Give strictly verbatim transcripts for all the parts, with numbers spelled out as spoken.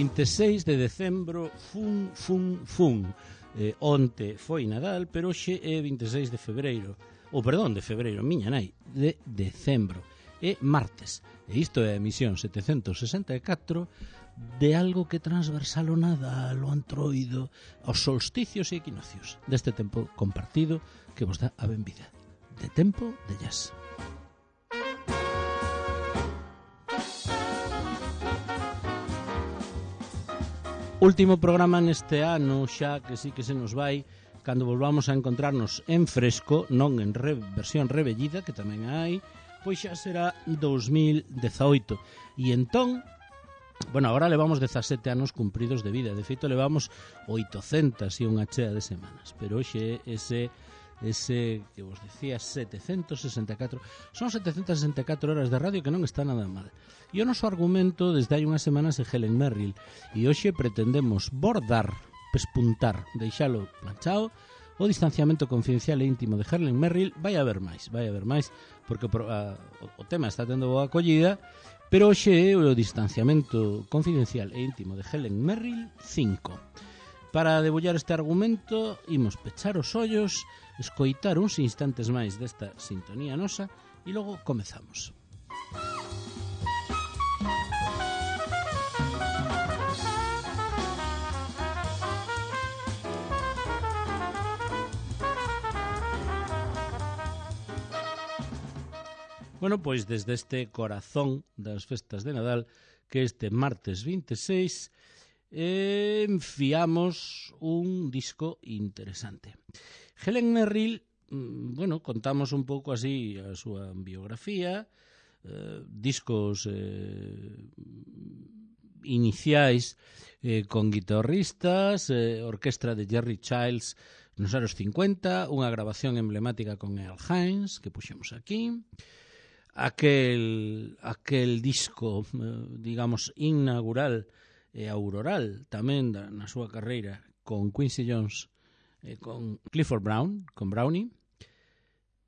vinte e seis de decembro, fun, fun, fun. Eh, onte foi Nadal, pero hoxe é vinte e seis de febreiro. Ou, perdón, de febreiro, miña nai, de decembro. É martes. E isto é a emisión setecentos sesenta e catro de algo que transversal o Nadal, o Antroido, aos solsticios e equinoccios deste tempo compartido que vos dá a benvida. De tempo de jazz. Último programa neste ano, xa que sí que se nos vai, cando volvamos a encontrarnos en fresco, non en re, versión rebellida, que tamén hai, pois xa será dos mil dezaoito. E entón, bueno, agora levamos dezasete anos cumpridos de vida, de feito levamos oitocentas e unha chea de semanas, pero hoxe ese... ese que vos decía setecentos sesenta e catro son setecentas sesenta e catro horas de radio que non está nada mal. E o noso argumento desde hai unhas semanas é Helen Merrill, e hoxe pretendemos bordar, pespuntar, deixalo planchado o distanciamento confidencial e íntimo de Helen Merrill. Vai haber máis, vai haber máis porque a, o, o tema está tendo boa acollida, pero hoxe é o distanciamento confidencial e íntimo de Helen Merrill cinco. Para debullar este argumento, imos pechar os ollos, escoitar uns instantes máis desta sintonía nosa e logo comezamos. Bueno, pois desde este corazón das festas de Nadal, que este martes vinte e seis, eh, enfiamos un disco interesante. Helen Merrill, bueno, contamos un pouco así a súa biografía, eh, discos eh, iniciais eh, con guitarristas, eh, orquestra de Jerry Childs nos anos cincuenta, unha grabación emblemática con Earl Hines, que puxemos aquí, aquel, aquel disco, eh, digamos, inaugural e auroral tamén da, na súa carreira con Quincy Jones e con Clifford Brown, con Brownie,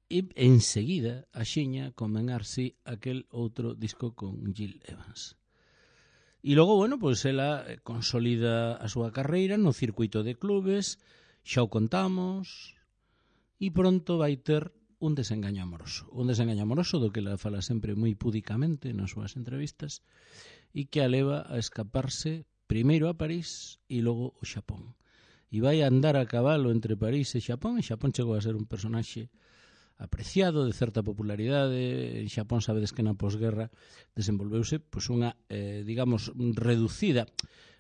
e enseguida axiña con Ben Arsi aquel outro disco con Gil Evans. E logo, bueno, pois ela consolida a súa carreira no circuito de clubes, xa o contamos, e pronto vai ter un desengaño amoroso. Un desengaño amoroso do que ela fala sempre moi púdicamente nas súas entrevistas e que a leva a escaparse primeiro a París e logo ao Xapón. E vai a andar a cabalo entre París e Xapón, e Xapón chegou a ser un personaxe apreciado, de certa popularidade. En Xapón sabedes que na posguerra desenvolveuse pois unha, eh, digamos, reducida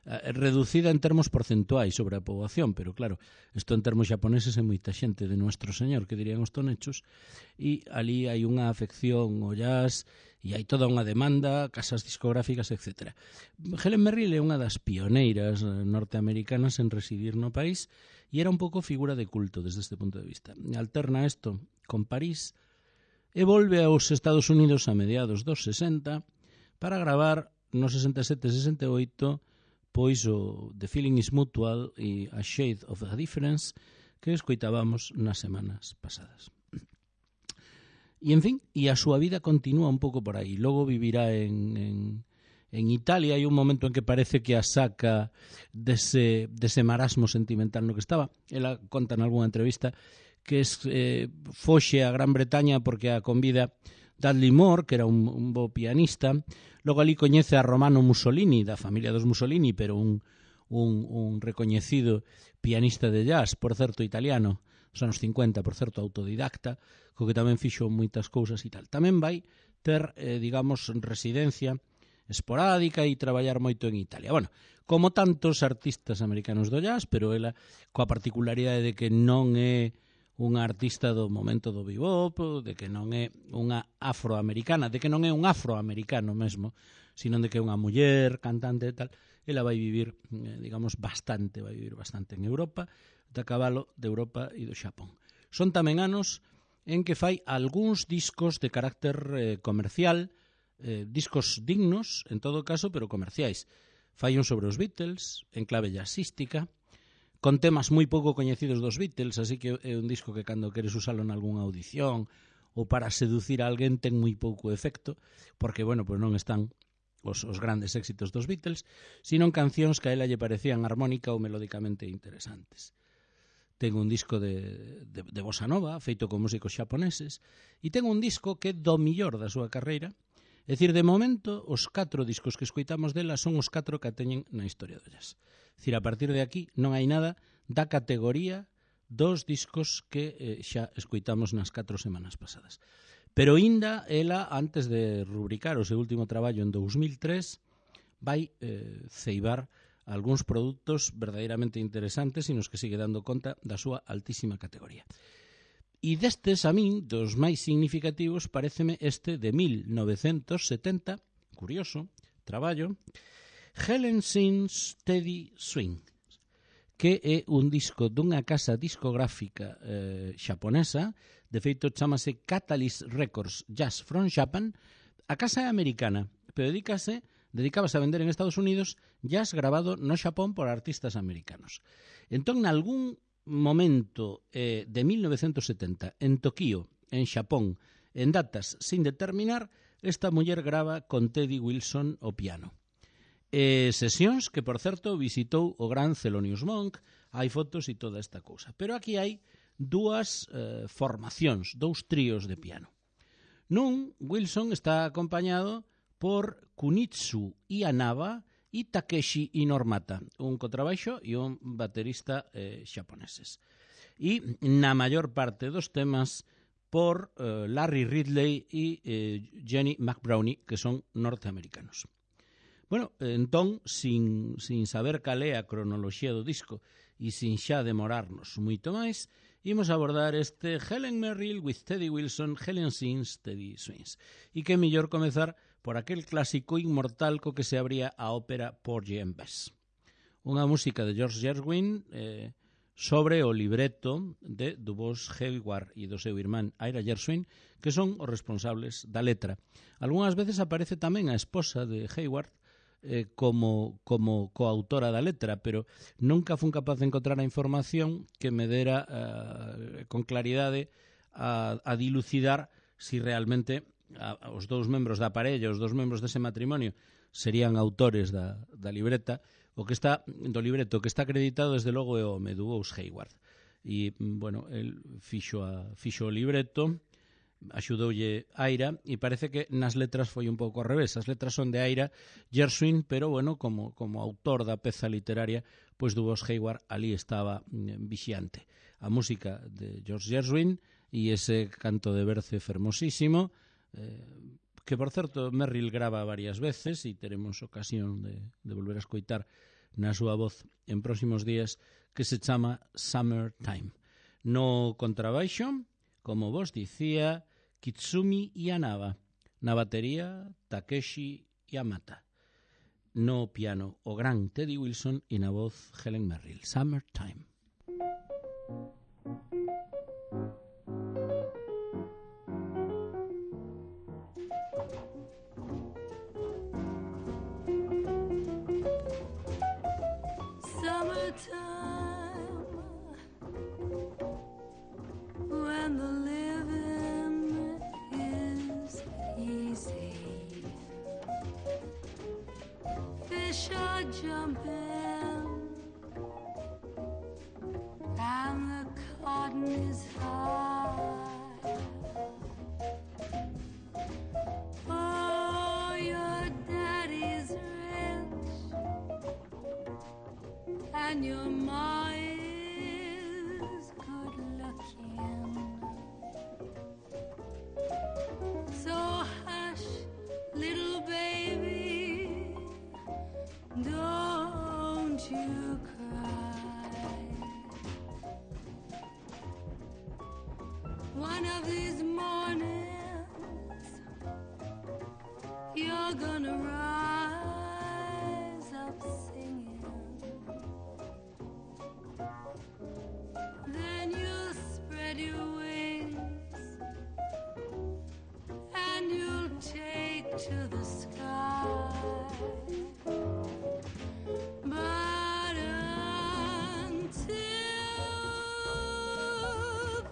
eh, reducida en termos porcentuais sobre a poboación, pero claro, isto en termos xaponeses é moita xente de Nuestro Señor, que dirían os tonechos, e ali hai unha afección ao jazz e hai toda unha demanda, casas discográficas, etcétera. Helen Merrill é unha das pioneiras norteamericanas en residir no país e era un pouco figura de culto desde este punto de vista. Alterna isto con París e volve aos Estados Unidos a mediados dos sesenta para gravar no sesenta e sete sesenta e oito pois o The Feeling is Mutual e A Shade of a Difference que escoitábamos nas semanas pasadas. E, en fin, e a súa vida continúa un pouco por aí. Logo vivirá en, en, en Italia. Hai un momento en que parece que a saca dese, dese marasmo sentimental no que estaba. Ela conta en algunha entrevista que es, eh, foxe a Gran Bretaña porque a convida Dudley Moore, que era un, un bo pianista. Logo ali coñece a Romano Mussolini, da familia dos Mussolini, pero un, un, un recoñecido pianista de jazz, por certo italiano, nos anos cincuenta, por certo autodidacta, co que tamén fixo moitas cousas e tal. Tamén vai ter, eh, digamos, residencia esporádica e traballar moito en Italia. Bueno, como tantos artistas americanos do jazz, pero ela coa particularidade de que non é unha artista do momento do bebop, de que non é unha afroamericana, de que non é un afroamericano mesmo, sino de que é unha muller cantante e tal. Ela vai vivir, eh, digamos, bastante, vai vivir bastante en Europa, de cabalo de Europa e do Xapón. Son tamén anos en que fai algúns discos de carácter eh, comercial, eh, discos dignos, en todo caso, pero comerciais. Fai un sobre os Beatles, en clave jazzística, con temas moi pouco coñecidos dos Beatles, así que é un disco que cando queres usalo en algunha audición ou para seducir a alguén ten moi pouco efecto, porque, bueno, pues non están os, os grandes éxitos dos Beatles, sino cancións que a ela lle parecían armónica ou melódicamente interesantes. Ten un disco de, de, de bossa nova, feito con músicos xaponeses, e ten un disco que é do millor da súa carreira. É dicir, de momento, os catro discos que escoitamos dela son os catro que a teñen na historia do jazz. É dicir, a partir de aquí non hai nada da categoría dos discos que eh, xa escoitamos nas catro semanas pasadas. Pero inda, ela, antes de rubricar o seu último traballo en dous mil tres, vai eh, ceibar algúns produtos verdadeiramente interesantes e nos que sigue dando conta da súa altísima categoría. E destes, a min, dos máis significativos, paréceme este de mil novecentos setenta, curioso, traballo, Helen Sings Steady Swing, que é un disco dunha casa discográfica eh, xaponesa, de feito chamase Catalyst Records Jazz from Japan. A casa é americana, pero dedícase, dedicábase a vender en Estados Unidos jazz grabado no Xapón por artistas americanos. Entón, nalgún momento eh, de mil novecentos setenta, en Tokío, en Xapón, en datas sin determinar, esta muller grava con Teddy Wilson o piano. Eh, sesións que, por certo, visitou o gran Thelonious Monk, hai fotos e toda esta cousa. Pero aquí hai dúas eh, formacións, dous tríos de piano. Nun, Wilson está acompañado por Kunitsu Ianaba e Takeshi Inormata, un contrabaixo e un baterista eh, xaponeses. E na maior parte dos temas por eh, Larry Ridley e eh, Jenny McBrownie, que son norteamericanos. Bueno, entón, sin, sin saber cal é a cronoloxía do disco e sin xa demorarnos moito máis, imos abordar este Helen Merrill with Teddy Wilson, Helen Sings Teddy Swings. E que mellor comezar por aquel clásico inmortal co que se abría a ópera Porgy and Bess. Unha música de George Gershwin eh, sobre o libreto de Dubois Hayward e do seu irmán Ira Gershwin, que son os responsables da letra. Algúnas veces aparece tamén a esposa de Hayward eh, como, como coautora da letra, pero nunca fun capaz de encontrar a información que me dera eh, con claridade a, a dilucidar si realmente a, a os dous membros da parella, os dous membros dese matrimonio serían autores da, da libreta. O que está do libreto que está acreditado desde logo é o Dubois Hayward. E, bueno, el fixo, a, fixo o libreto, axudoulle Ira, e parece que nas letras foi un pouco ao revés. As letras son de Ira Gershwin, pero, bueno, como, como autor da peza literaria, pois Dubois Hayward ali estaba mm, vixiante. A música de George Gershwin e ese canto de berce fermosísimo, eh, que, por certo, Merrill grava varias veces e teremos ocasión de, de volver a escoitar na súa voz en próximos días, que se chama Summertime. No contrabaixo, como vos dicía, Kitsumi Ianaba. Na batería, Takeshi Yamata. No piano, o gran Teddy Wilson, e na voz, Helen Merrill. Summertime. When the living is easy, fish are jumping and the cotton is high. Oh, your daddy's rich and your ma is good looking. So hush, little baby, don't you cry. One of these mornings you're gonna rise up singing. Then you'll spread your wings and you'll take to the sky. But until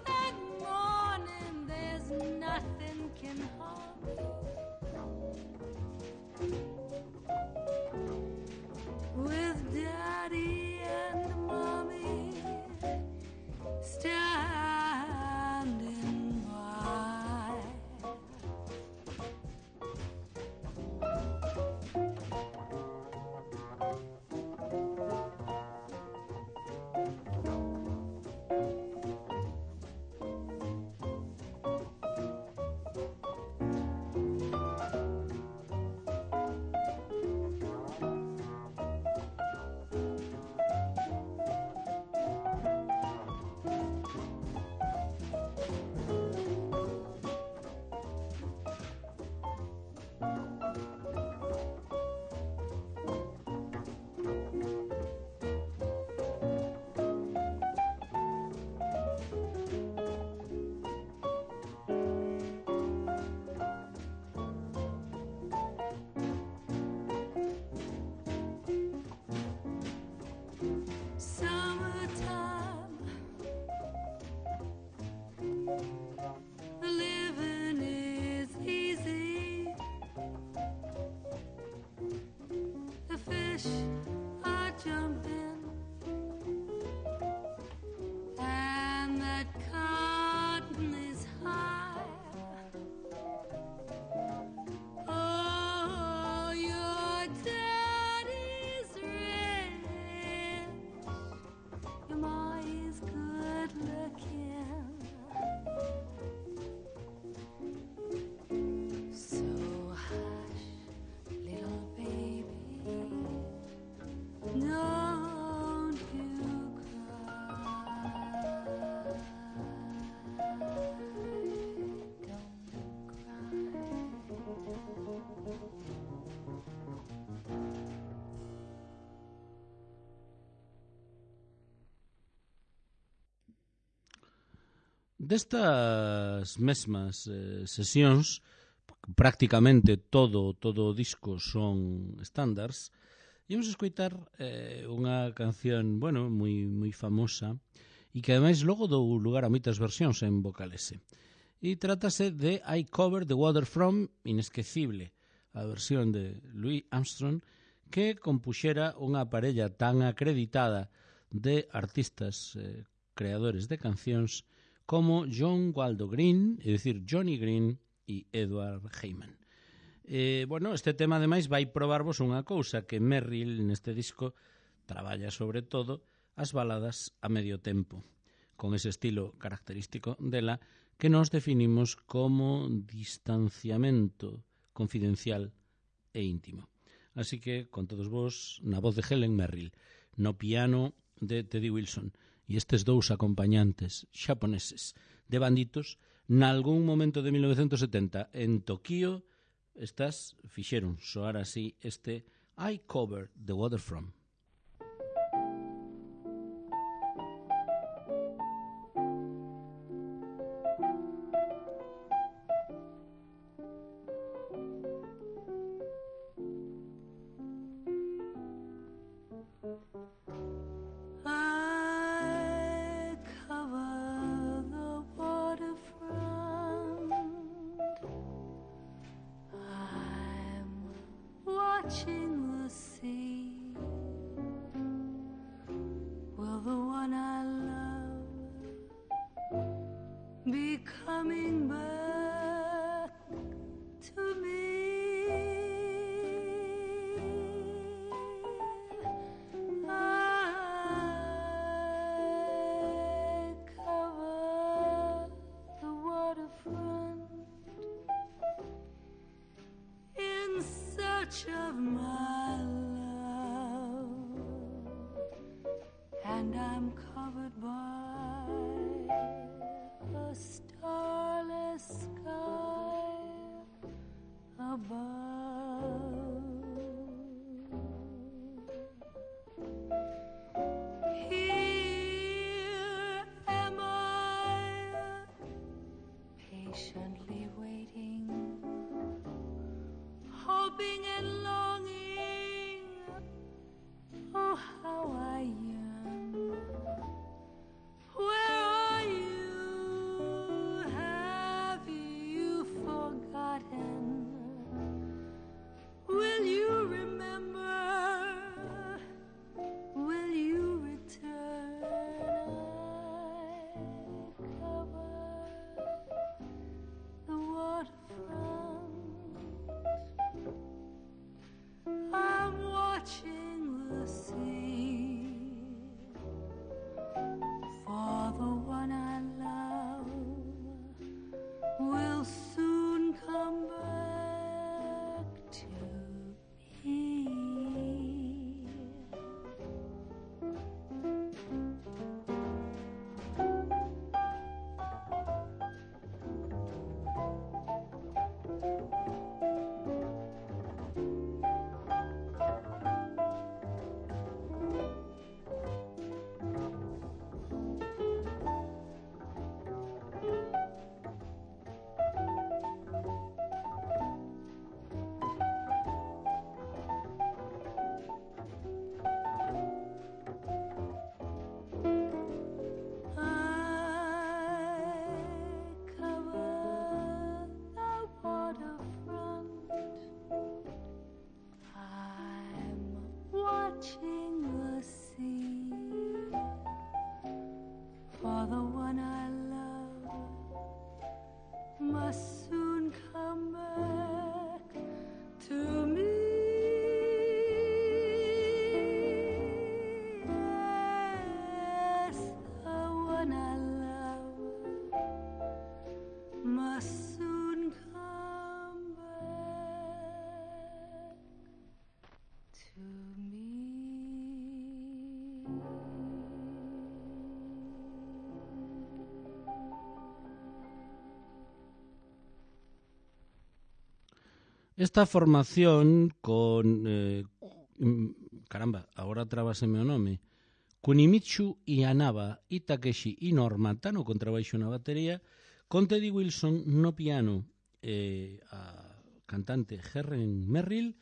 that morning, there's nothing can harm you. Destas mesmas eh, sesións, prácticamente todo todo o disco son standards, íamos a escoitar eh, unha canción, bueno, moi moi famosa e que ademais logo dou lugar a moitas versións en vocalese. E trátase de I Covered the Water From, inesquecible, a versión de Louis Armstrong, que compuxera unha parella tan acreditada de artistas eh, creadores de cancións como John Waldo Green, é dicir, Johnny Green e Edward Heyman. Eh, bueno, este tema ademais vai probarvos unha cousa, que Merrill neste disco traballa sobre todo as baladas a medio tempo, con ese estilo característico dela que nos definimos como distanciamento confidencial e íntimo. Así que, con todos vos, na voz de Helen Merrill, no piano de Teddy Wilson e estes dous acompañantes xaponeses de banditos, nalgún momento de mil novecentos setenta en Tokio, estas fixeron soar así este I Covered the Water From. Watching the sea, will the one I love be coming back to me? I cover the waterfront in search of my love, and I'm covered by a starless sky above. Here am I, patiently waiting, hoping and longing. Oh, how I yearn. Where are you? Have you forgotten? Will you remember? Will you return? I cover the waterfront. I'm watching the sea for the one I love will soon come back to me. Watching the sea for the one I love must soon come back to me. Yes, the one I love must soon come back to me. Esta formación con... Eh, caramba, agora trabáseme o nome. Kunimichu Ianaba e Takeshi Inormata no contrabaixo na batería, con Teddy Wilson no piano e a cantante Helen Merrill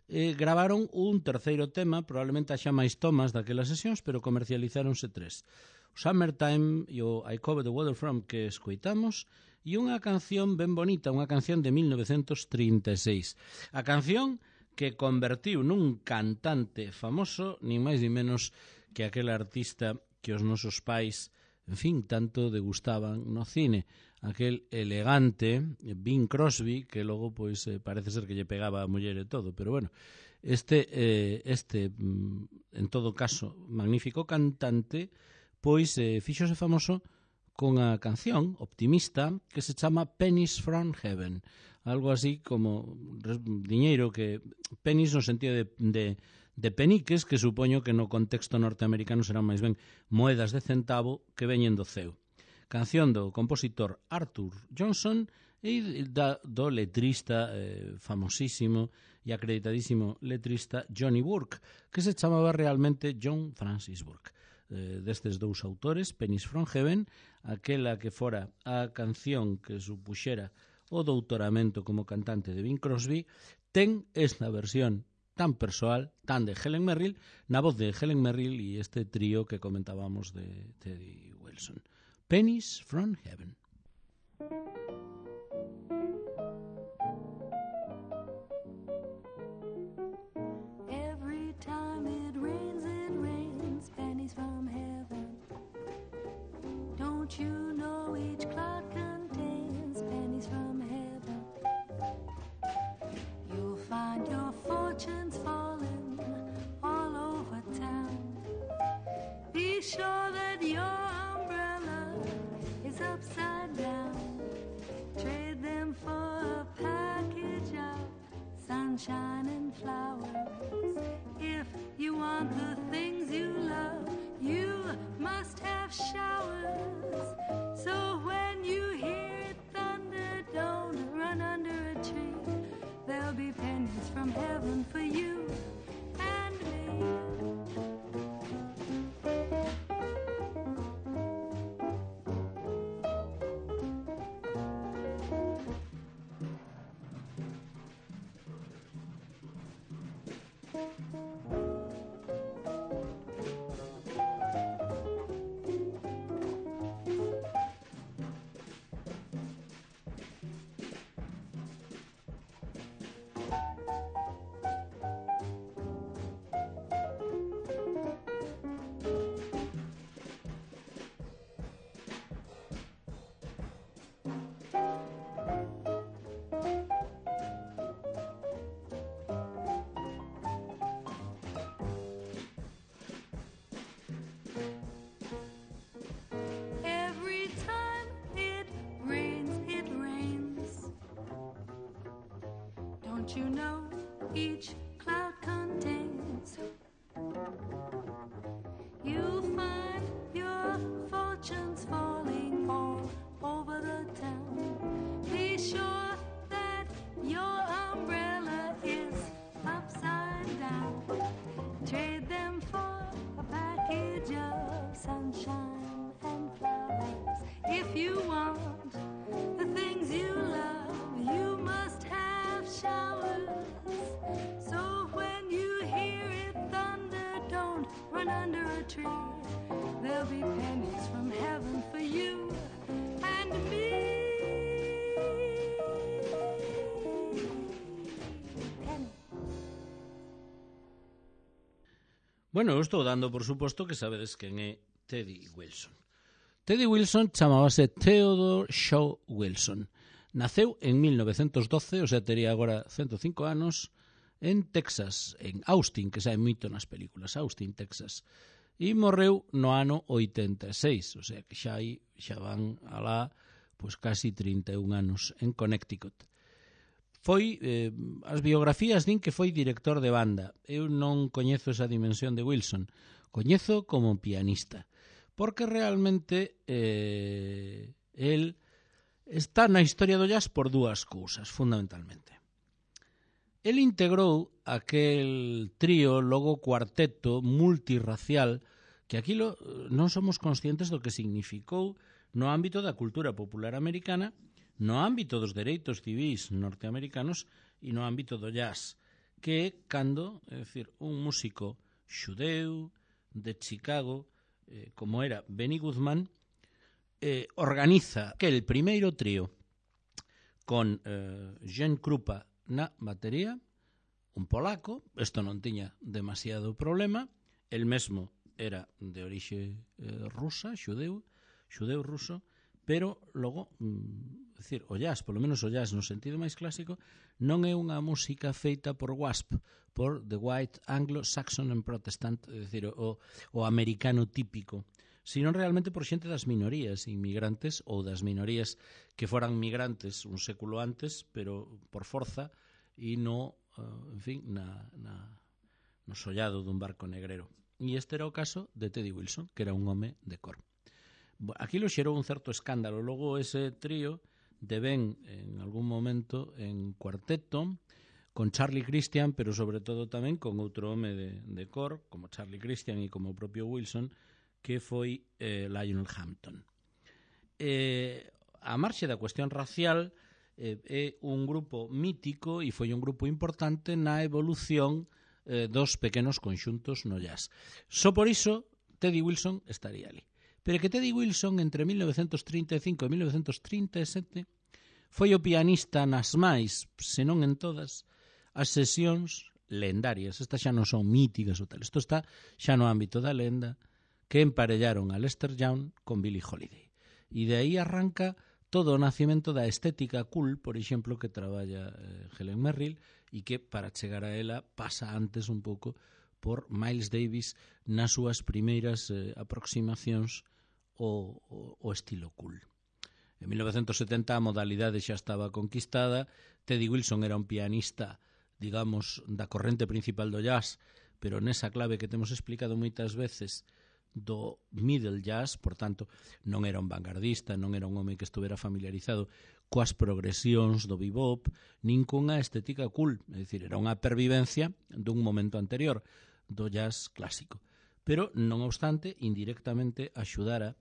eh, gravaron un terceiro tema, probablemente xa máis tomas daquelas sesións, pero comercializáronse tres. O Summertime e o I Cover the Water From que escoitamos, e unha canción ben bonita, unha canción de mil novecentos trinta e seis. A canción que convertiu nun cantante famoso, nin máis nin menos que aquel artista que os nosos pais, en fin, tanto degustaban no cine. Aquel elegante Bing Crosby, que logo pois eh, parece ser que lle pegaba a muller e todo, pero bueno, este, eh, este en todo caso, magnífico cantante, pois eh, fíxose famoso con a canción optimista que se chama Pennies from Heaven, algo así como diñeiro que, pennies no sentido de, de, de peniques, que supoño que no contexto norteamericano serán máis ben moedas de centavo que veñen do ceo. Canción do compositor Arthur Johnson e da, do letrista eh, famosísimo e acreditadísimo letrista Johnny Burke, que se chamaba realmente John Francis Burke. Eh, destes dous autores, Pennies from Heaven, aquela que fora a canción que supuxera o doutoramento como cantante de Bing Crosby, ten esta versión tan persoal, tan de Helen Merrill, na voz de Helen Merrill e este trío que comentábamos de Teddy Wilson. Pennies from Heaven. Every time it rains, it rains pennies from heaven. Don't you know each cloud contains pennies from heaven? You'll find your fortunes falling all over town. Be sure that your is upside down. Trade them for a package of sunshine and flowers. If you want the things you love, you must have showers. So when you hear thunder, don't run under a tree. There'll be pennies from heaven for you and me. Don't you know each cloud contains? You'll find your fortunes falling all over the town. Be sure that your umbrella is upside down. Trade them for a package of sunshine and flowers. If you want the things you love, you must have showers. So when you hear it thunder, don't run under a tree. There'll be pennies from heaven for you and me. Penny. Bueno, eu estou dando por suposto que sabedes quen é Teddy Wilson. Teddy Wilson chamábase Theodore Shaw Wilson. Naceu en mil novecentos doce, o sea, tería agora ciento cinco anos, en Texas, en Austin, que sae moito nas películas, Austin, Texas. E morreu no ano oitenta e seis, o sea, que xa aí xa van alá pois casi trinta e un anos en Connecticut. Foi, eh, as biografías din que foi director de banda. Eu non coñezo esa dimensión de Wilson, coñezo como pianista, porque realmente eh, el está na historia do jazz por dúas cousas, fundamentalmente. El integrou aquel trío, logo cuarteto multirracial, que que aquilo non somos conscientes do que significou no ámbito da cultura popular americana, no ámbito dos dereitos civis norteamericanos e no ámbito do jazz, que é cando, é dicir, un músico xudeu de Chicago, eh, como era Benny Goodman, eh, organiza aquel primeiro trío con eh, Gene Krupa na batería, un polaco, isto non tiña demasiado problema, el mesmo era de orixe eh, rusa, xudeu, xudeu ruso, pero logo, mm, decir, o jazz, polo menos o jazz no sentido máis clásico, non é unha música feita por W A S P, por The White Anglo-Saxon and Protestant, é dicir, o, o americano típico, sino realmente por xente das minorías inmigrantes ou das minorías que foran migrantes un século antes, pero por forza e no, uh, en fin, na, na, no sollado dun barco negrero. E este era o caso de Teddy Wilson, que era un home de cor. Aquilo xerou un certo escándalo. Logo ese trío deben en algún momento en cuarteto con Charlie Christian, pero sobre todo tamén con outro home de, de cor, como Charlie Christian e como o propio Wilson, que foi eh, Lionel Hampton. Eh, a marxe da cuestión racial, eh, é un grupo mítico e foi un grupo importante na evolución eh, dos pequenos conxuntos no jazz. Só por iso Teddy Wilson estaría ali. Pero que Teddy Wilson entre mil novecientos trinta e cinco e mil novecientos trinta e sete foi o pianista nas máis, senón en todas, as sesións lendarias. Estas xa non son míticas ou tal. Isto está xa no ámbito da lenda, que emparellaron a Lester Young con Billie Holiday. E de aí arranca todo o nacimento da estética cool, por exemplo, que traballa eh, Helen Merrill, e que para chegar a ela pasa antes un pouco por Miles Davis nas súas primeiras eh, aproximacións o, o, o estilo cool. En mil novecientos setenta a modalidade xa estaba conquistada. Teddy Wilson era un pianista, digamos, da corrente principal do jazz, pero nesa clave que temos explicado moitas veces do middle jazz, por tanto, non era un vanguardista, non era un home que estuvera familiarizado coas progresións do bebop, nin cunha estética cool, é dicir, era unha pervivencia dun momento anterior do jazz clásico. Pero, non obstante, indirectamente axudara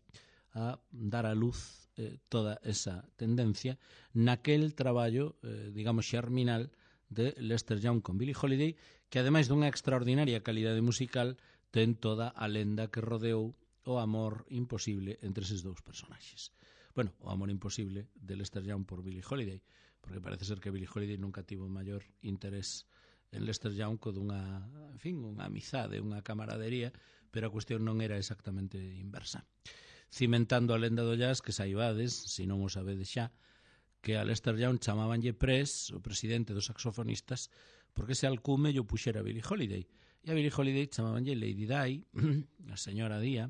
a dar a luz eh, toda esa tendencia naquel traballo, eh, digamos, xerminal de Lester Young con Billie Holiday, que ademais dunha extraordinaria calidade musical ten toda a lenda que rodeou o amor imposible entre eses dous personaxes. Bueno, o amor imposible de Lester Young por Billie Holiday, porque parece ser que Billie Holiday nunca tivo maior interés en Lester Young co dunha, en fin, unha amizade, unha camaradería, pero a cuestión non era exactamente inversa. Cimentando a lenda do jazz, que saibades, se non o sabedes xa, que a Lester Young chamabanlle Press, o presidente dos saxofonistas, porque ese alcume lle puxera Billie Holiday. E a Billie Holiday chamabanlle Lady Di, a señora Día,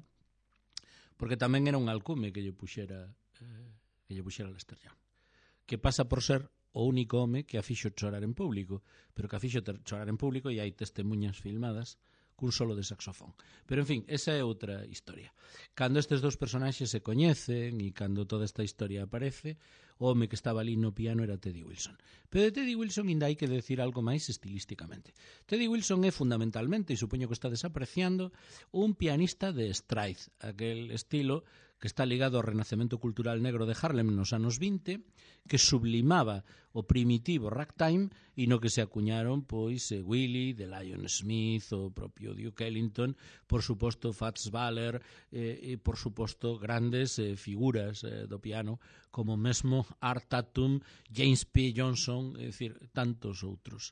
porque tamén era un alcume que lle puxera, eh, que lle puxera Lester Young, que pasa por ser o único home que a fixo chorar en público, pero que a fixo chorar en público e hai testemunhas filmadas cun solo de saxofón. Pero, en fin, esa é outra historia. Cando estes dous personaxes se coñecen e cando toda esta historia aparece, o home que estaba ali no piano era Teddy Wilson. Pero de Teddy Wilson ainda hai que decir algo máis estilísticamente. Teddy Wilson é fundamentalmente, e supoño que está desapreciando, un pianista de stride, aquel estilo que está ligado ao renacemento cultural negro de Harlem nos anos vinte, que sublimaba o primitivo ragtime e no que se acuñaron pois eh, Willie, The Lion Smith, o propio Duke Ellington, por suposto Fats Waller, eh, e por suposto grandes eh, figuras eh, do piano como mesmo Art Tatum, James P. Johnson, é dicir, tantos outros.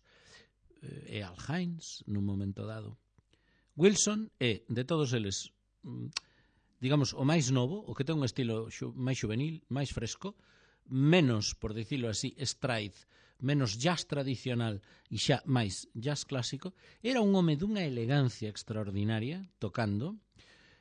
Eh, e Al Hines, nun momento dado. Wilson é, de todos eles, digamos, o máis novo, o que ten un estilo xu, máis juvenil, máis fresco, menos, por dicilo así, stride, menos jazz tradicional e xa máis jazz clásico. Era un home dunha elegancia extraordinaria tocando.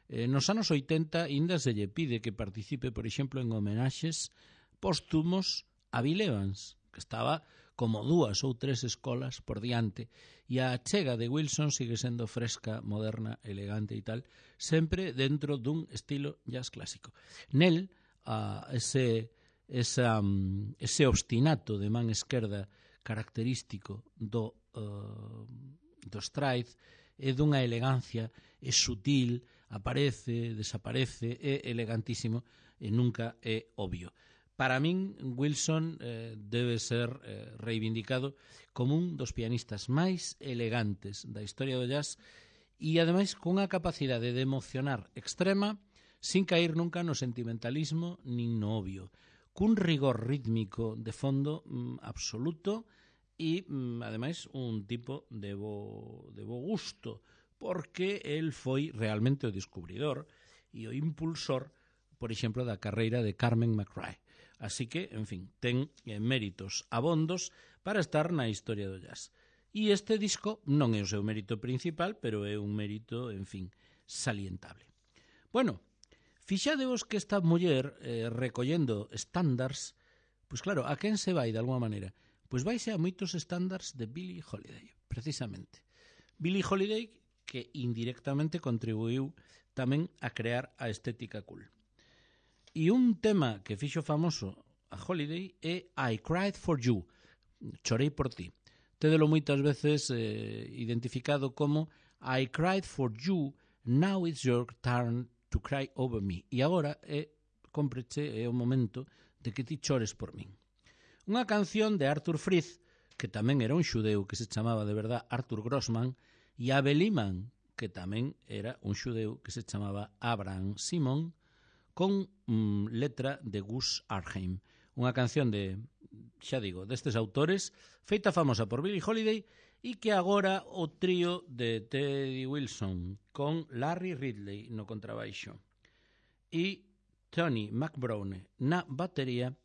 Eh, nos anos oitenta ainda se lle pide que participe, por exemplo, en homenaxes póstumos a Bill Evans, que estaba como dúas ou tres escolas por diante, e a chega de Wilson sigue sendo fresca, moderna, elegante e tal, sempre dentro dun estilo jazz clásico. Nel, a ese, esa, ese obstinato de man esquerda característico do, uh, do stride é dunha elegancia, é sutil, aparece, desaparece, é elegantísimo e nunca é obvio. Para min, Wilson eh, debe ser eh, reivindicado como un dos pianistas máis elegantes da historia do jazz e, ademais, cunha capacidade de emocionar extrema sin caer nunca no sentimentalismo nin no obvio, cun rigor rítmico de fondo mm, absoluto e, mm, ademais, un tipo de bo, de bo gusto, porque el foi realmente o descubridor e o impulsor, por exemplo, da carreira de Carmen McRae. Así que, en fin, ten eh, méritos abondos para estar na historia do jazz. E este disco non é o seu mérito principal, pero é un mérito, en fin, salientable. Bueno, fixadevos que esta muller eh, recollendo estándares, pois claro, a quen se vai de alguma maneira? Pois vaise a moitos estándares de Billie Holiday, precisamente. Billie Holiday, que indirectamente contribuiu tamén a crear a estética cool. E un tema que fixo famoso a Holiday é I Cried for You, chorei por ti. Tédelo moitas veces eh, identificado como I cried for you, now it's your turn to cry over me. E agora é, compreche, é o momento de que ti chores por min. Unha canción de Arthur Freed, que tamén era un xudeu que se chamaba de verdad Arthur Grossman, e Abel Lehman, que tamén era un xudeu que se chamaba Abraham Simon, con mm, letra de Gus Arheim. Unha canción de, xa digo, destes autores, feita famosa por Billie Holiday e que agora o trío de Teddy Wilson con Larry Ridley no contrabaixo e Tony McBrowne na batería,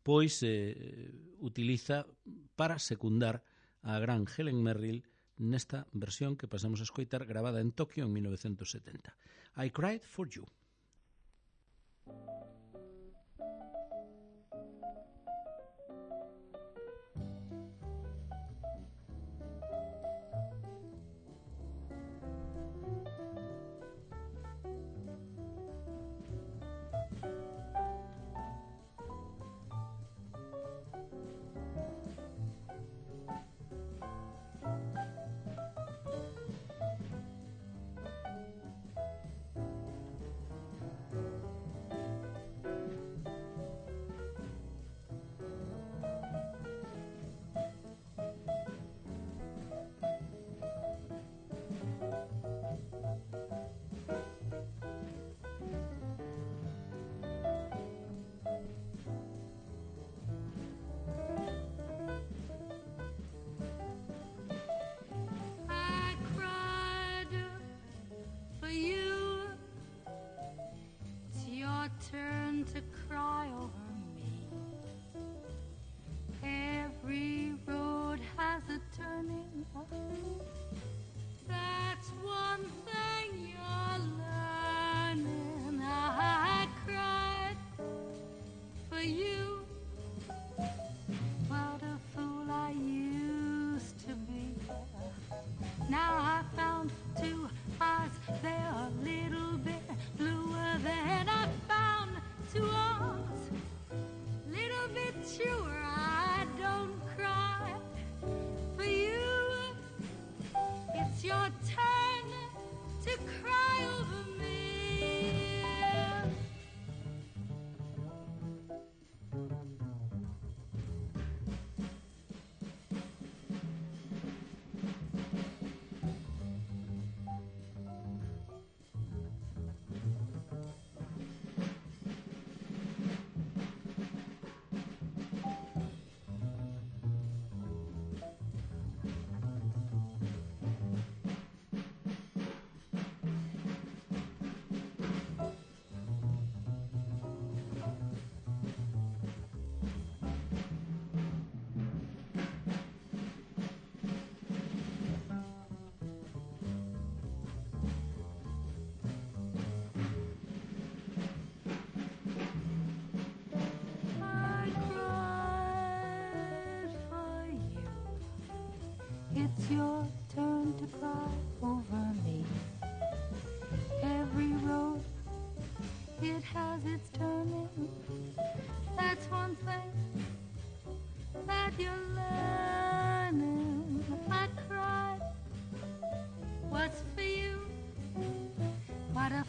pois eh, utiliza para secundar a gran Helen Merrill nesta versión que pasamos a escoitar gravada en Tokio en mil novecientos setenta. I Cried for You. Turn to cry over me. Every road has a turning. That's one thing you're learning. I cried for you. What a fool I used to be. Now I found two eyes, they're a little bit bluer than I found two arms, little bit truer. I don't cry for you. It's your turn to cry over me. It's your turn to cry over me. Every road, it has its turning. That's one thing that you're learning. I cried, what's for you? What a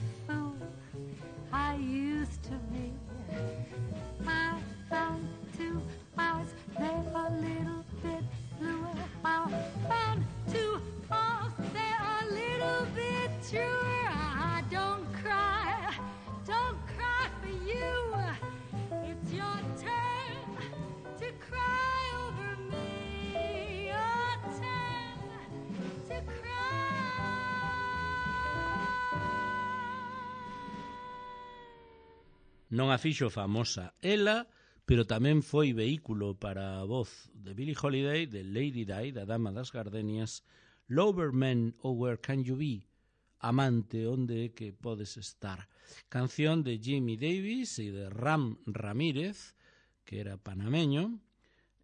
Non a fixo famosa ela, pero tamén foi vehículo para a voz de Billie Holiday, de Lady Di, da Dama das Gardenias, Loverman, oh Where Can You Be, Amante, onde é que podes estar. Canción de Jimmy Davis e de Ram Ramírez, que era panameño,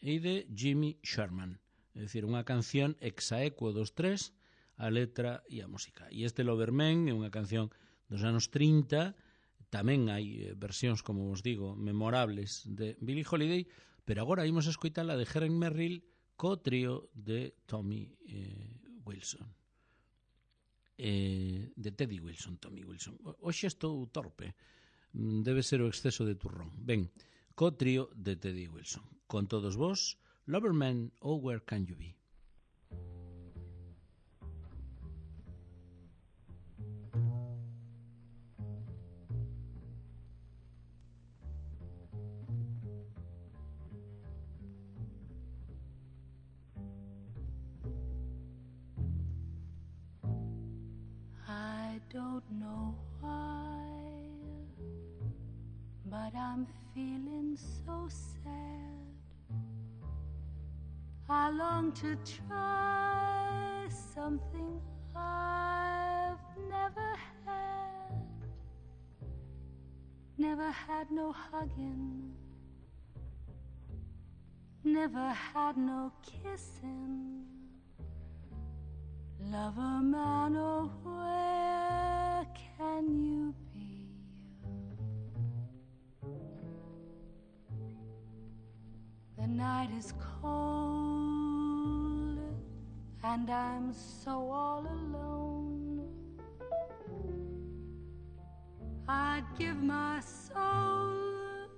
e de Jimmy Sherman. É dicir, unha canción exaequo dos tres, a letra e a música. E este Loverman é unha canción dos anos trinta. Tamén hai versións, como vos digo, memorables de Billie Holiday, pero agora imos a escoitala de Helen Merrill co trío de Tommy eh, Wilson. Eh, de Teddy Wilson, Tommy Wilson. Hoxe estou torpe, debe ser o exceso de turrón. Ben, co trío de Teddy Wilson. Con todos vos, Loverman, oh Where Can You Be? I don't know why, but I'm feeling so sad. I long to try something I've never had. Never had no hugging, never had no kissing. Lover man, oh where can you be? The night is cold and I'm so all alone. I'd give my soul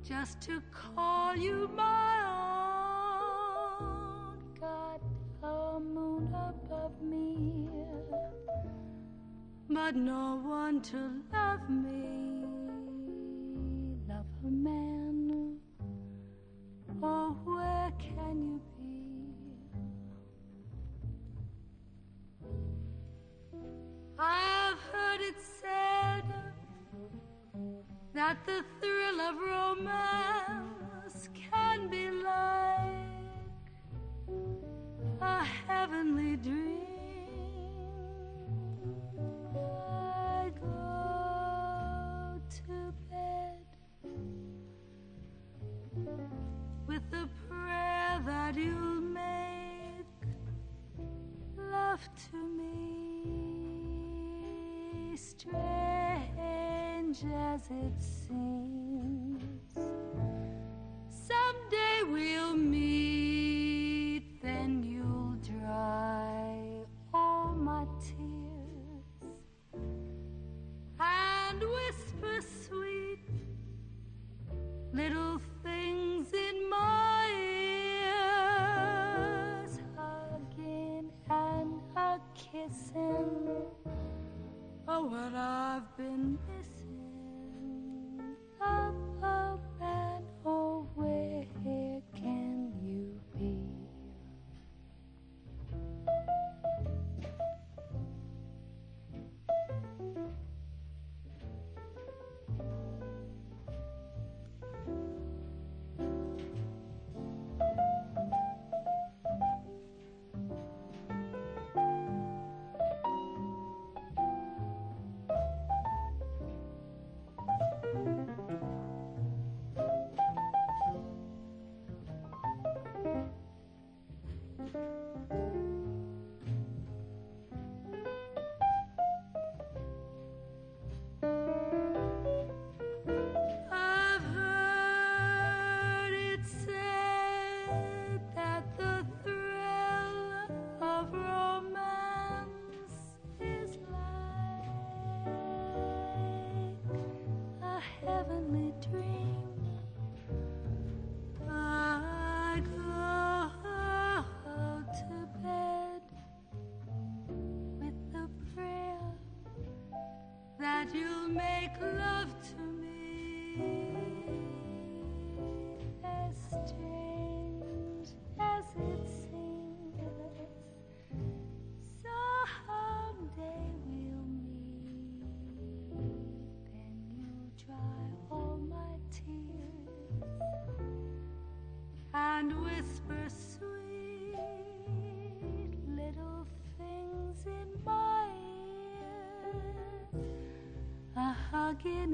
just to call you my own. Got a moon above me, but no one to love me. Love a man, oh where can you be? I've heard it said that the thrill of romance can be like a heavenly dream. I go to bed with the prayer that you'll make love to me, strange as it seems. Someday we'll meet, then you'll dry all my tears and whisper sweet little things in my ears, hugging and a kissing. Oh, what I've been missing. Love, love, and oh, where can you be?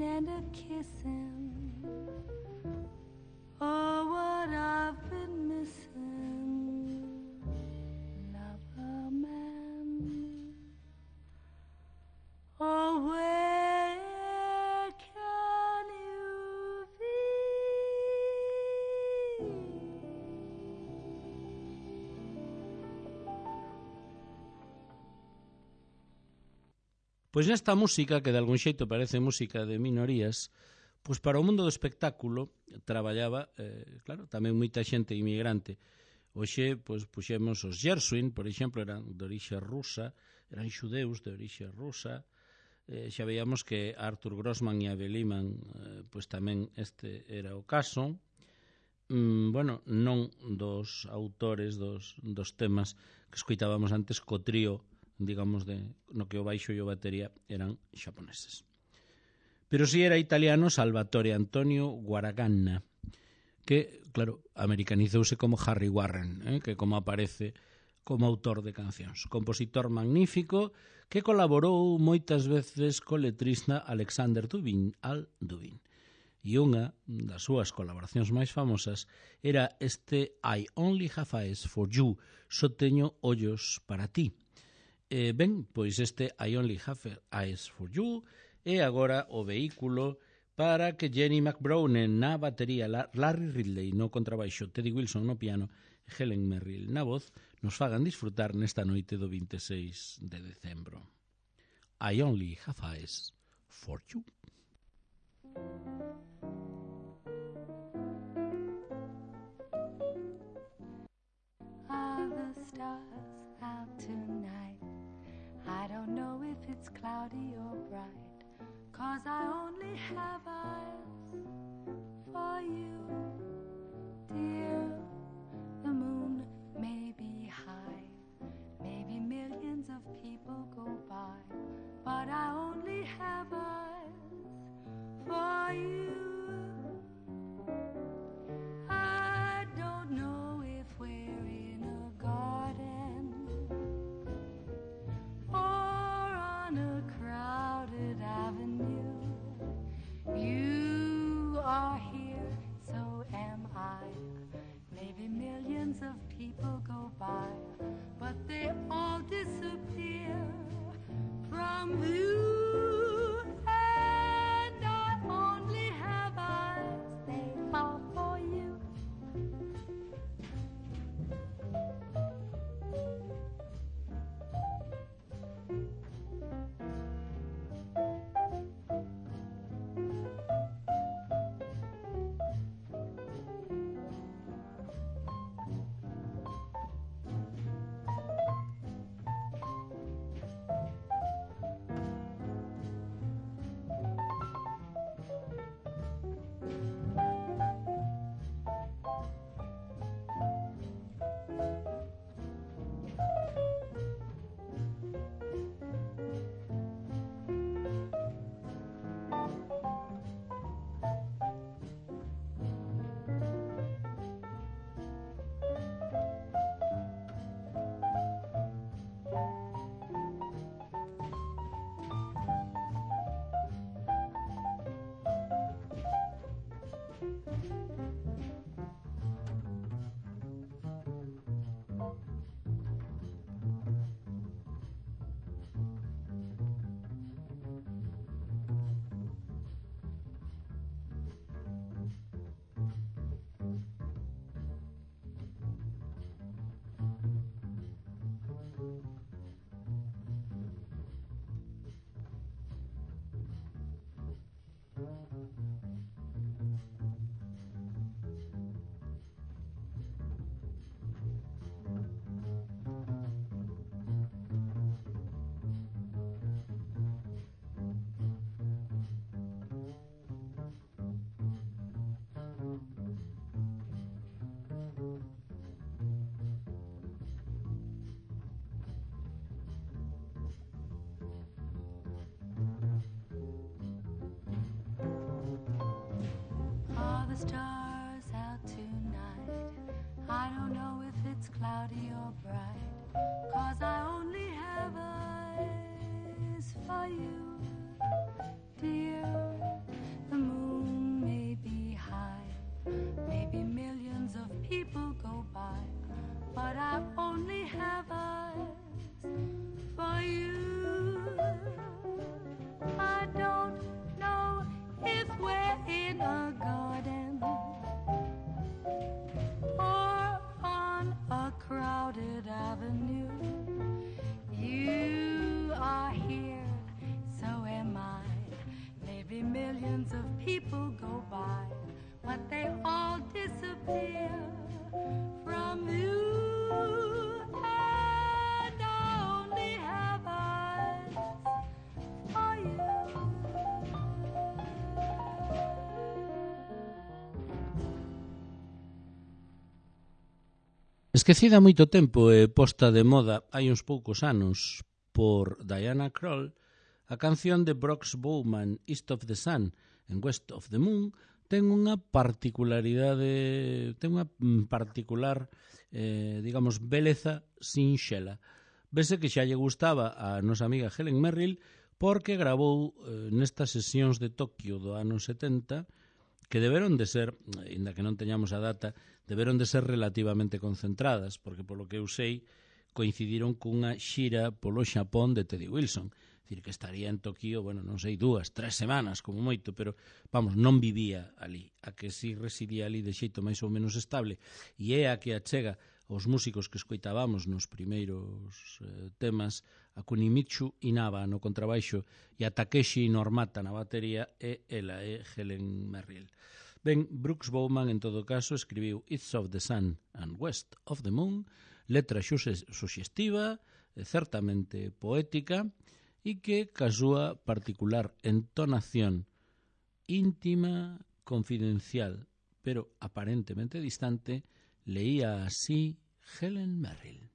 hugging and a kissing. Oh, what I've been missing. Lover man. Oh, where can you be? Pois nesta música, que de algún xeito parece música de minorías, pois para o mundo do espectáculo traballaba, eh, claro, tamén moita xente inmigrante. Hoxe, pois, puxemos os Gershwin, por exemplo, eran de orixe rusa, eran xudeus de orixe rusa. Eh, xa veíamos que Arthur Grossman e Abel Lehman, eh, pois tamén este era o caso. Mm, bueno, non dos autores dos, dos temas que escoitábamos antes co trío, digamos, de, no que o baixo e o batería eran xaponeses. Pero si era italiano Salvatore Antonio Guaraganna, que, claro, americanizouse como Harry Warren, eh, que como aparece como autor de cancións. Compositor magnífico que colaborou moitas veces co letrista Alexander Dubin, Al Dubin. E unha das súas colaboracións máis famosas era este I Only Have Eyes for You, só teño ollos para ti. Eh, ben, pois este I Only Have Eyes for You é agora o vehículo para que Jenny McBrone na batería, Larry Ridley no contrabaixo, Teddy Wilson no piano e Helen Merrill na voz nos fagan disfrutar nesta noite do vinte e seis de decembro. I Only Have Eyes for You. Are the stars out tonight? I don't know if it's cloudy or bright, 'cause I only have eyes for you, dear. The moon may be high, maybe millions of people go by, but I only have eyes for you. I don't know if we're in a garden or on a crowded avenue. You are here, so am I. Maybe millions of people go by, but they all disappear from view. And I only have eyes, they are for you. Stars out tonight. I don't know if it's cloudy or bright, 'cause I only have eyes for you, dear. Esquecida moito tempo e posta de moda hai uns poucos anos por Diana Krall, a canción de Brooks Bowman, East of the Sun and West of the Moon, ten unha particularidade, ten unha particular, eh, digamos, beleza sinxela. Vese que xa lle gustaba a nosa amiga Helen Merrill porque gravou eh, nestas sesións de Tokio do ano setenta, que deberon de ser, ainda que non teñamos a data, deberon de ser relativamente concentradas, porque polo que eu sei, coincidiron cunha xira polo Xapón de Teddy Wilson. É dicir, que estaría en Tokio, bueno, non sei, dúas, tres semanas, como moito, pero, vamos, non vivía ali. A que si residía ali de xeito máis ou menos estable. E é a que achega os músicos que escoitábamos nos primeiros eh, temas, a Kunimitsu Inaba no contrabaixo e a Takeshi Normata na batería, e ela é Helen Merrill. Ben, Brooks Bowman, en todo caso, escribiu East of the Sun and West of the Moon, letra suxestiva, certamente poética, e que, ca súa particular entonación íntima, confidencial, pero aparentemente distante, leía así Helen Merrill.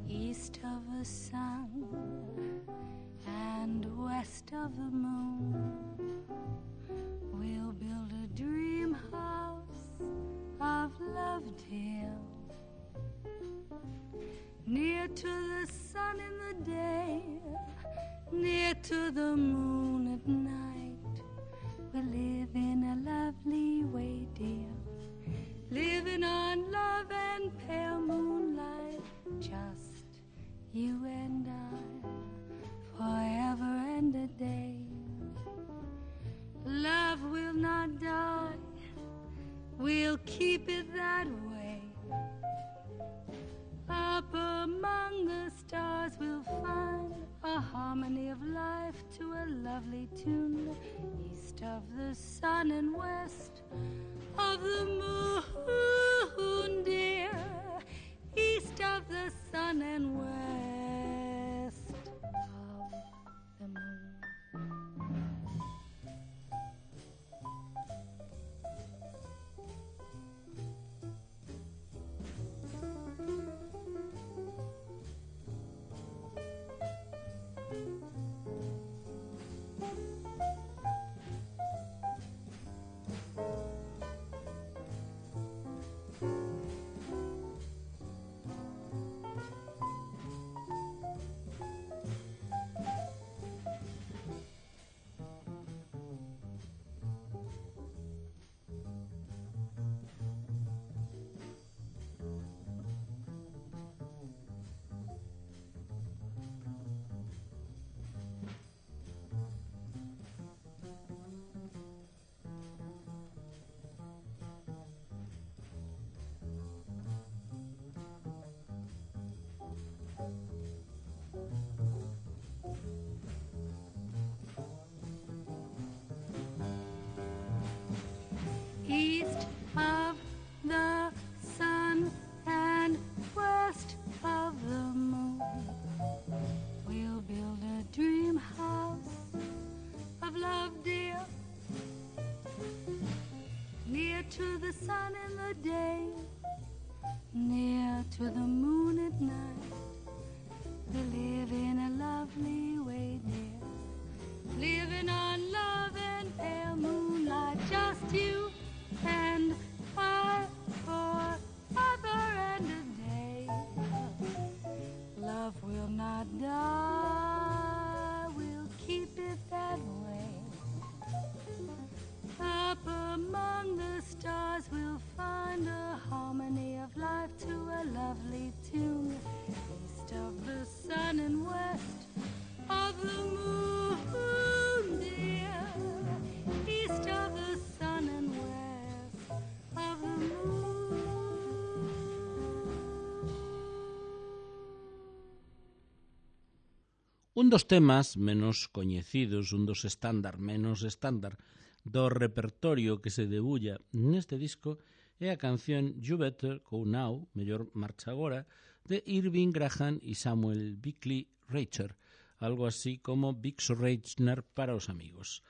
East of the sun and west of the moon, we'll build a dream house of love, dear, near to the sun in the day, near to the moon at night. We'll live in a lovely way, dear, living on love and pale moonlight, just you and I, forever and a day. Love will not die, we'll keep it that way. Up among the stars we'll find a harmony of life to a lovely tune, east of the sun and west of the moon, dear, east of the sun and west of the moon. East of the sun and west of the moon, we'll build a dream house of love, dear, near to the sun in the day, near to the moon at night. We'll live in a lovely way, dear, living on love and pale moonlight, just you and I, forever and a day. Love will not die, we'll keep it that way. Up among the stars we'll find a harmony of life to a lovely tune, east of the sun and west of the moon, dear, east of the sun and west of the moon. Un dos temas menos coñecidos, un dos estándar menos estándar do repertorio que se debulla neste disco é a canción You Better Go Now, mellor marcha agora, de Irving Graham e Samuel Bickley Reicher, algo así como Big Surrechner para os amigos.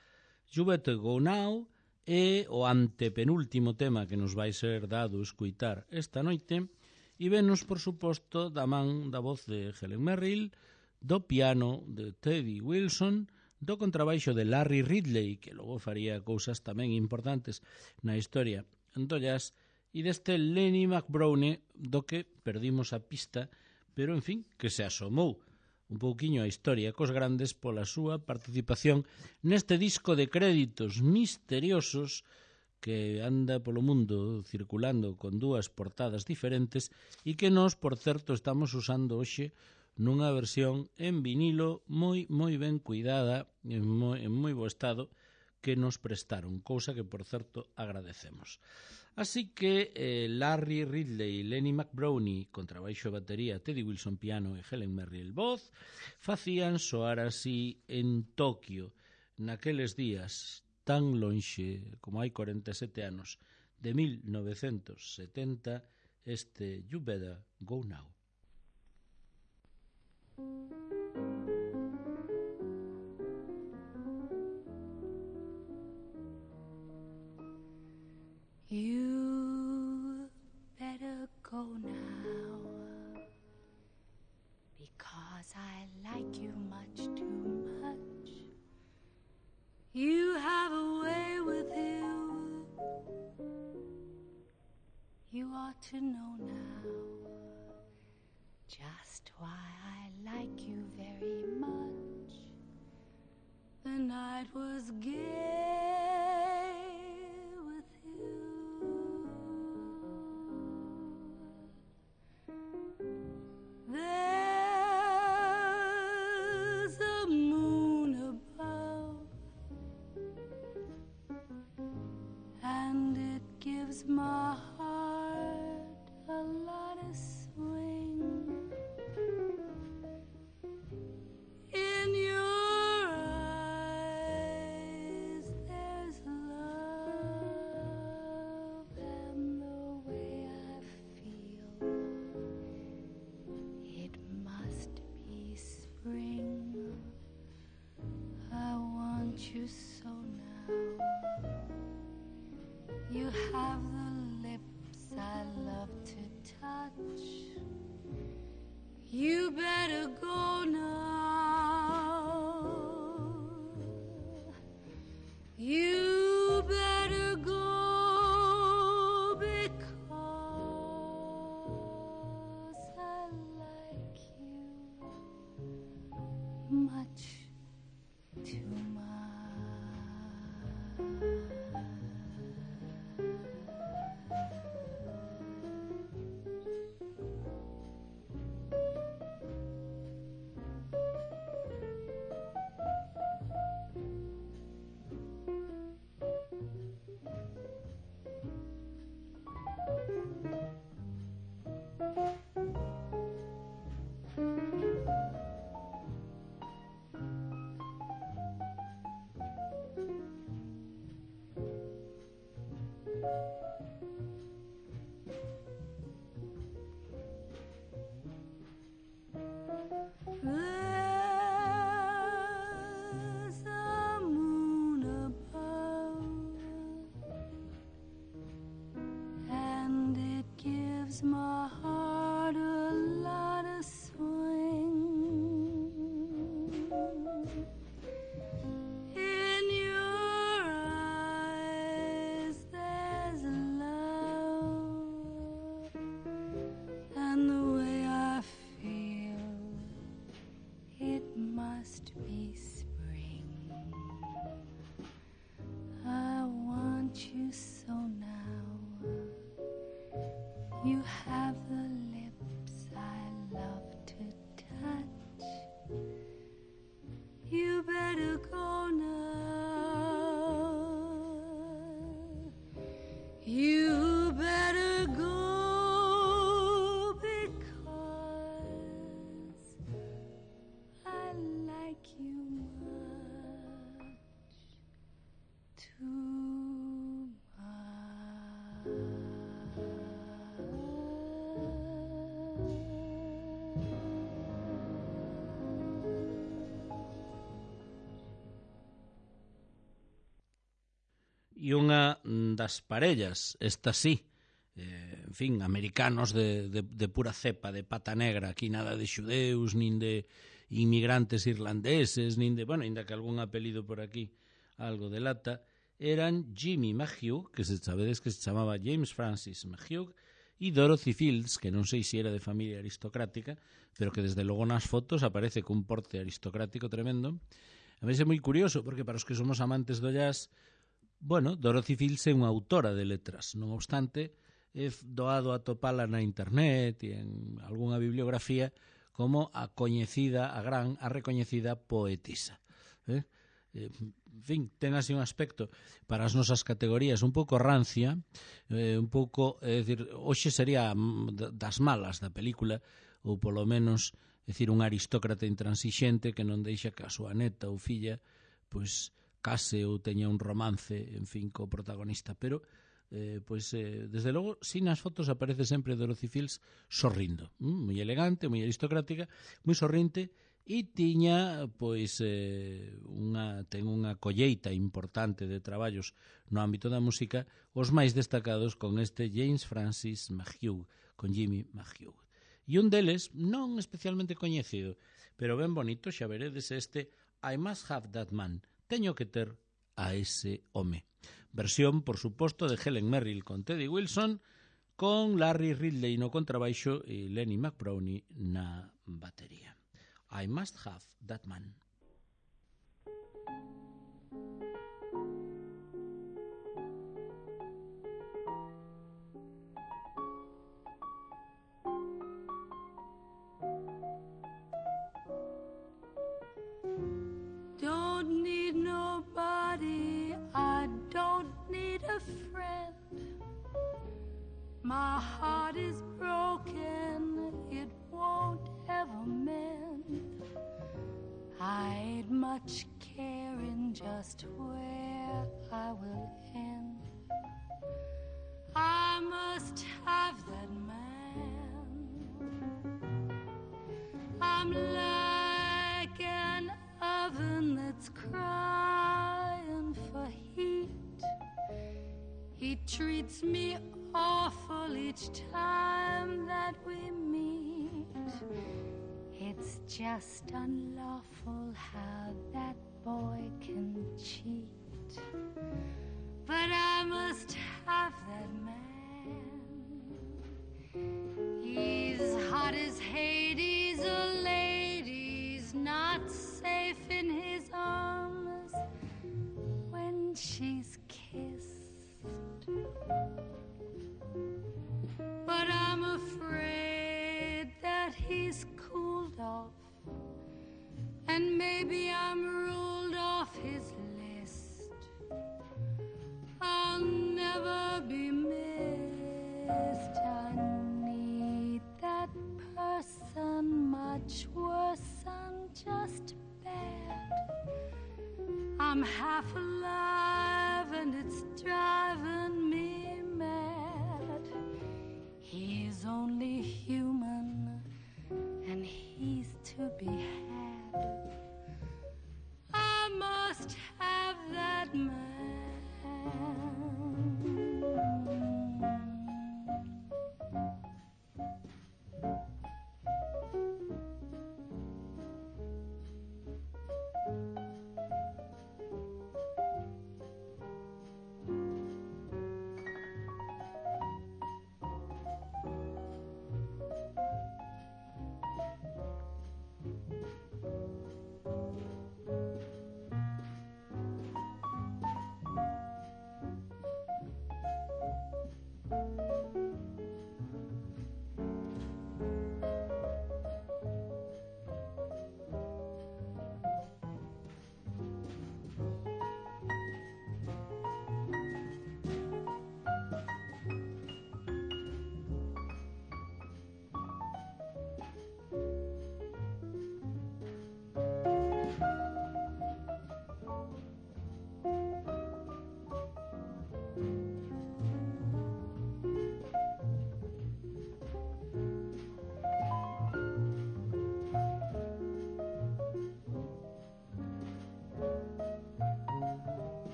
You Better Go Now é o antepenúltimo tema que nos vai ser dado escuitar esta noite e venos, por suposto, da man da voz de Helen Merrill, do piano de Teddy Wilson, do contrabaixo de Larry Ridley, que logo faría cousas tamén importantes na historia do jazz, e deste Lenny McBrowne, do que perdimos a pista, pero, en fin, que se asomou un pouquiño a historia cos grandes pola súa participación neste disco de créditos misteriosos que anda polo mundo circulando con dúas portadas diferentes e que nós, por certo, estamos usando hoxe nunha versión en vinilo moi moi ben cuidada, en moi, en moi bo estado, que nos prestaron, cousa que, por certo, agradecemos. Así que eh, Larry Ridley, Lenny McBrowne, contrabaixo e batería, Teddy Wilson piano e Helen Merrill voz, facían soar así en Tokio, naqueles días tan lonxe como hai corenta e sete anos, de mil novecentos setenta, este You Better Go Now. You better go now, because I like you much too much. You have a way with you, you ought to know now just why I like you very much. The night was gay with you. There's a moon above, and it gives my heart a lot of swing. In your eyes there's love, and the way I feel, it must be spring. I want you so now. You have the lips I love to touch. You better go now. You better go, because I like you much too much. There's a moon above, and it gives my heart a lot of swing. In your eyes there's love, and the way I feel, it must be spring. I want you so now. You have the lips I love to touch. You better go now. You better go, because I like you much E unha das parellas, esta sí, eh, en fin, americanos de, de, de pura cepa, de pata negra, aquí nada de xudeus, nin de inmigrantes irlandeses, nin de, bueno, ainda que algún apelido por aquí algo delata, eran Jimmy McHugh, que se sabedes que se chamaba James Francis McHugh, e Dorothy Fields, que non sei se era de familia aristocrática, pero que desde logo nas fotos aparece cun porte aristocrático tremendo. A mí é moi curioso, porque para os que somos amantes do jazz, bueno, Dorothy Fields é unha autora de letras, non obstante, é doado a topala na internet e en algunha bibliografía como a coñecida, a gran, a recoñecida poetisa. Eh? En fin, ten así un aspecto para as nosas categorías un pouco rancia, eh, un pouco, é dicir, hoxe sería das malas da película, ou polo menos, é dicir, un aristócrata intransixente que non deixa que a súa neta ou filla, pois, case ou teña un romance, en fin, co protagonista, pero eh, pois, eh, desde logo, si nas fotos aparece sempre Dorothy Fields sorrindo, mm, moi elegante, moi aristocrática, moi sorrinte, e tiña, pois, eh, unha, ten unha colleita importante de traballos no ámbito da música, os máis destacados con este James Francis McHugh, con Jimmy McHugh. E un deles, non especialmente coñecido, pero ben bonito, xa veredes este I Must Have That Man, teño que ter a ese home. Versión, por suposto, de Helen Merrill con Teddy Wilson, con Larry Ridley no contrabaixo e Lenny McBrownie na batería. I Must Have That Man. Don't need nobody, I don't need a friend. My heart is broken, it won't ever mend. I ain't much caring just where I will end. I must have that man. I'm like an oven that's crying for heat. He treats me awful each time that we meet. It's just unlawful how that boy can cheat. But I must have that man. He's hot as Hades, a lady's not safe in his arms when she's kissed. But I'm afraid that he's cooled off, and maybe I'm ruled off his list. I'll never be missed. I need that person much worse than just bad. I'm half alive and it's driving me mad. He's only human and he's to be had. I must have that man.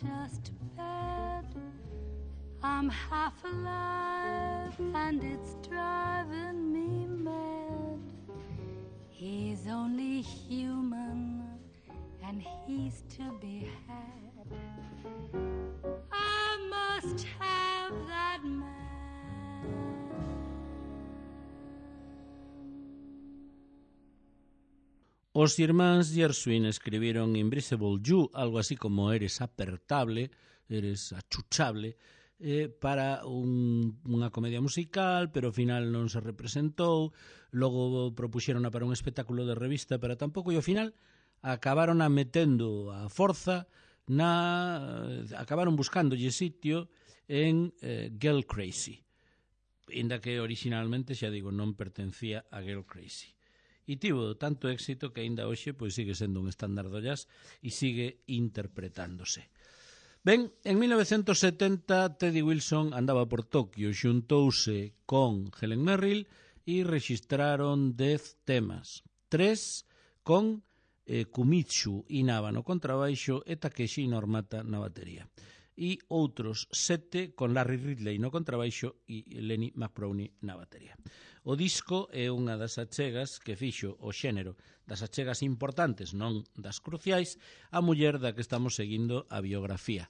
just bad. I'm half alive and it's driving me mad. He's only human and he's to be had. I must have that man. Os irmáns Gershwin escribiron Invisible You, algo así como eres apertable, eres achuchable, eh, para un, unha comedia musical, pero ao final non se representou. Logo propuxeron para un espectáculo de revista, pero tampouco, e ao final acabaron a metendo a forza na... acabaron buscándolle sitio en eh, Girl Crazy, inda que originalmente, xa digo, non pertencía a Girl Crazy. E tivo tanto éxito que aínda hoxe pois sigue sendo un estándar do jazz e sigue interpretándose. Ben, en mil novecentos setenta Teddy Wilson andaba por Tokio, xuntouse con Helen Merrill e rexistraron dez temas, tres con eh, Kumitsu Inaba no contrabaixo e Takeshi Normata na batería, e outros sete con Larry Ridley no contrabaixo e Lenny McBrownie na batería. O disco é unha das achegas que fixo o xénero, das achegas importantes, non das cruciais, a muller da que estamos seguindo a biografía,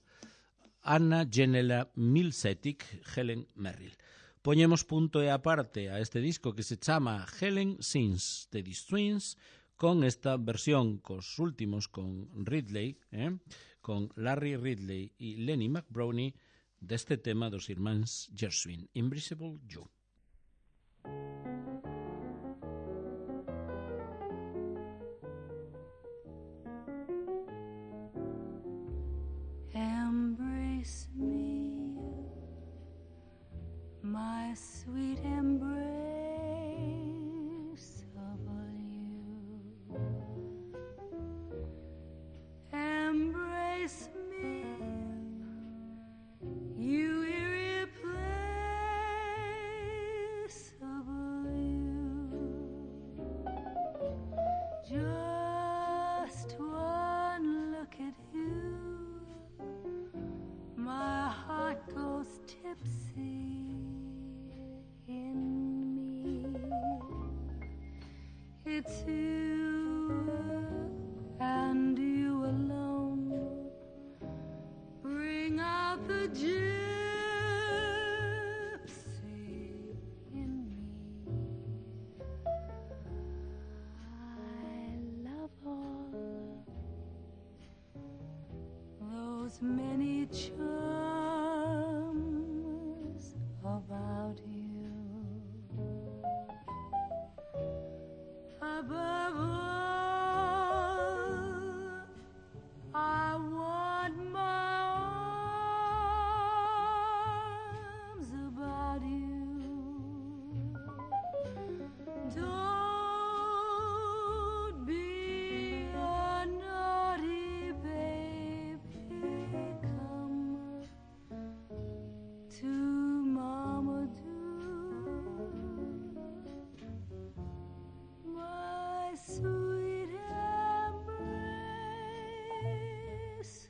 Anna Genela Milsetic, Helen Merrill. Poñemos punto e aparte a este disco que se chama Helen Sings the Twins, con esta versión cos últimos con Ridley, eh? con Larry Ridley e Lenny McBrownie deste tema dos irmáns Gershwin, Invisible You. Embrace me, my sweet embrace of you. Embrace me, you irreplaceable you. Just one look at you, my heart goes tipsy in me. It's you and you alone. Bring out the gypsy in me. I love all those many charms about you. Above all, I want my arms about you. Don't be a naughty baby, come to Mama do. My sweet embrace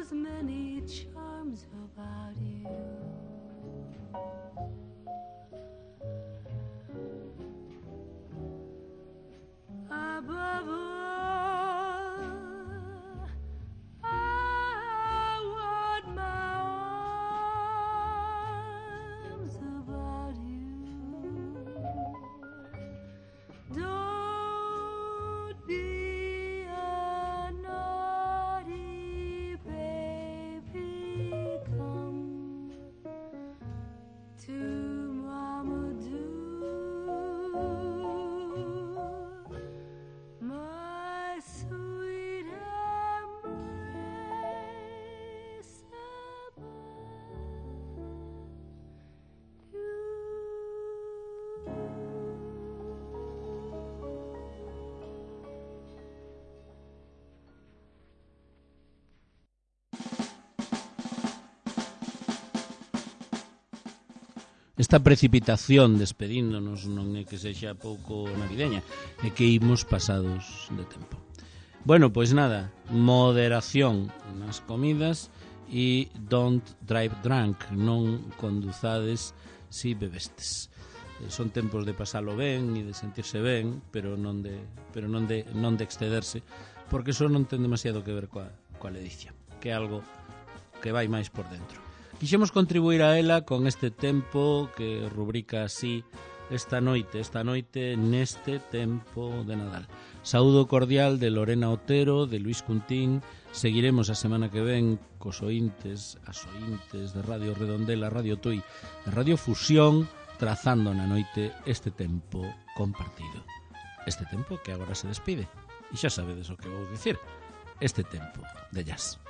those many charms about you. Above all, I want my arms about you. Don't be a naughty baby, come to Mama do. My sweet embrace above you. Esta precipitación despedíndonos non é que sexa pouco navideña, é que imos pasados de tempo. Bueno, pois nada, moderación nas comidas e don't drive drunk, non conduzades si bebestes. Son tempos de pasalo ben e de sentirse ben, pero non de pero non de non de excederse, porque eso non ten demasiado que ver coa coa ledicia, que é algo que vai máis por dentro. Quixemos contribuir a ela con este tempo que rubrica así esta noite, esta noite neste tempo de Nadal. Saúdo cordial de Lorena Otero, de Luis Cuntín. Seguiremos a semana que ven cos ointes, as ointes de Radio Redondela, Radio Tui, de Radio Fusión, trazando na noite este tempo compartido. Este tempo que agora se despide. E xa sabedes o que vou dicir. Este tempo de jazz.